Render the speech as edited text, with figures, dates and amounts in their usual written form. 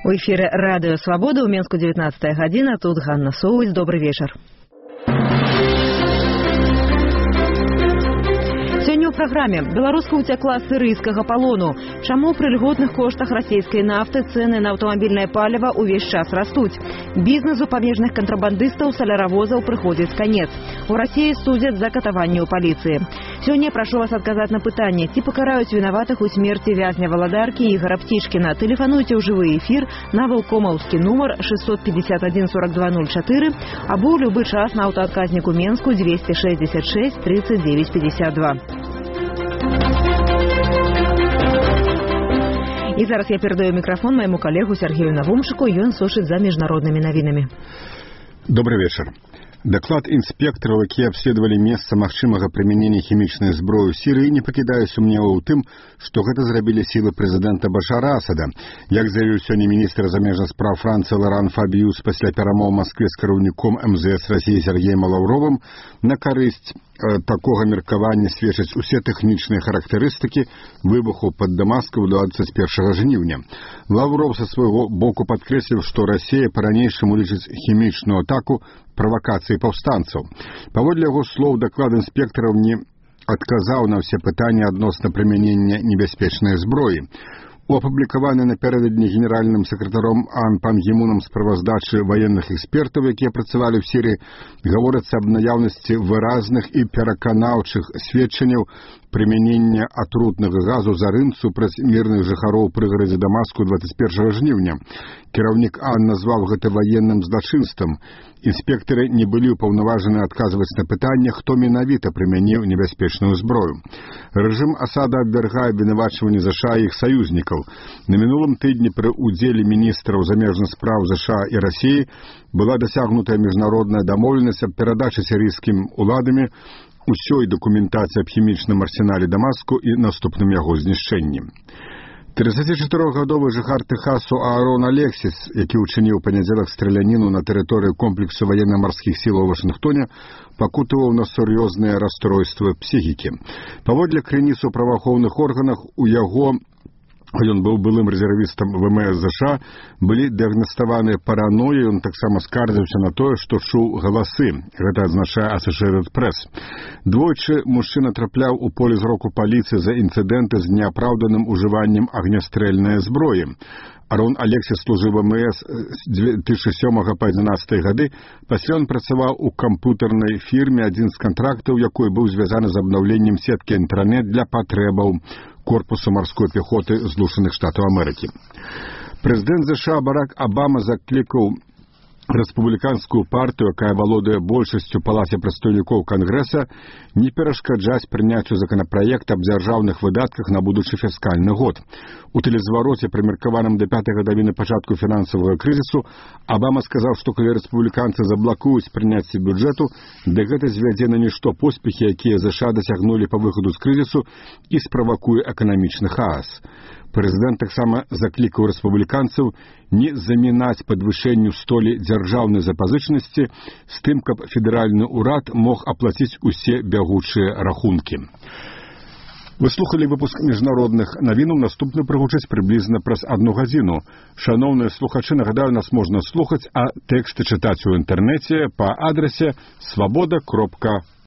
У эфире «Радио Свобода», у Менску 19 година, тут Ганна Соуць. Добрый вечер. Сёння ў праграме беларуска ўцякла з сірыйскага палону. Чаму пры льготных коштах расійскай нафты цэны на аўтамабільнае паліва ўвесь час растуць? Бізнесу памежных кантрабандыстаў саляравозаў прыходзіць канец. У Расіі судзяць за катаванне ў паліцыі. Сёння прашу вас адказаць на пытанне, ці пакараюць вінаватых у смерці вязня валадаркі Ігора Птічкіна. Тэлефануйце ў жывы эфір на валкомаўскі нумар 651 42 04 або ў любы час на аўтаадказніку Менску 266 39 52. И зараз я передаю микрофон моему коллегу Сергею Навумшику, и он слушает за международными новинами. Добрый вечер. Доклад инспекторов, которые обследовали место магчымага применения химичной зброі ў Сирии, не покидая сумневаў у тым, что это зрабілі силы президента Башара Асада. Як заявил сегодня министр замежных справ Франции Лоран Фабиус после перамоў в Москве с кіраўніком МЗС России Сергеем Лавровым, на карысць такого меркавання сведчаць усе тэхнічныя характарыстыкі выбуху под Дамаском 21 жніўня. Лавров со своего боку подкрэсліў, что Россия по-ранейшаму лічыць хімічную атаку правокацией повстанцев. Паводле яго слов, доклад инспекторов не отказал на все пытания адносна применения небяспечной зброі. У апублікаванай напярэдадні генеральным сакратаром АН Пан Гі Мунам справаздачы военных экспертаў, якія працавалі ў Сірыі, гаворыцца аб наяўнасці выразных і пераканаўчых сведчанняў прымянення атрутнага газу зарын супраць мірных жыхароў прыгарадзе Дамаску 21 жніўня. Кіраўнік АН назваў гэта военным злачынствам. Інспектары не былі ўпаўнаважаны адказваць на пытанне, хто менавіта прымяніў небяспечную зброю. Рэжым Асада абвяргае абвінавачванні ЗША і іх саюзнікаў. На мінулым тыдні пры удзеле міністраў замежных спраў ЗША і Расіі была дасягнутая міжнародная дамоўленасць аб перадачы сірыйскім уладамі усёй дакументацыі аб хімічным арсенале Дамаску і наступным яго знішчэнні. 34-гадовы жыхар Тэхасу Аарон Алексіс, які ўчыніў панядзелак страляніну на тэрыторыі комплексу военно-марскіх сілаў у Вашынгтоне, пакутаваў на сур'ёзныя расстройствы псіхікі. Паводле крыніц у праваахоўных органах, у яго, ён быў былым рэзервістам ВМС ЗША, былі дыягнаставаныя параноі, ён таксама скардзіўся на тое, што чуў галасы. Гэта адзначае Associated Press. Двойчы мужчына трапляў у поле зроку паліцыі за інцыдэнты з неапраўданым ужываннем агнястрэльнай зброі. Арон Алексіс служыў ВМС з 2007 па 2011 гады, пасля ён працаваў у камп'ютарнай фірме, адзін з кантрактаў якой быў звязаны з абнаўленнем сеткі інтэрнэт для патрэбаў корпуса морской пехоты Злучаных Штатаў Амерыкі. Прэзідэнт ЗША Барак Абама заклікаў рэспубліканскую партыю, якая валодае большасцю палаце прадстаўнікоў Кангрэса, не перашкаджаць прыняццю законапраект аб дзяржаўных выдатках на будучы фіскальны год. У тэлезвароце, прымеркаваным да 5-й гадавіны пачатку фінансавага крызісу, Абама сказаў, што калі рэспубліканцы заблакуюць прыняцце бюджэту, дык гэта звядзе на нішто поспехі, якія ЗША дасягнулі па выхаду з крызісу, і справакуе эканамічны хаос. Прэзідэнт таксама заклікаў рэспубліканцаў не замінаць падвышэнню столі дзяржаўнай запазычанасці з тым, каб федэральны ўрад мог аплаціць усе бягучыя рахункі. Вы слухали выпуск міжнародных навінаў, наступны прагучыць прыблізна праз 1 гадзіну. Шаноўныя слухачы, нагадаю, нас можна слухаць, а тэксты чытаць у інтэрнэце па адрасе svoboda.org.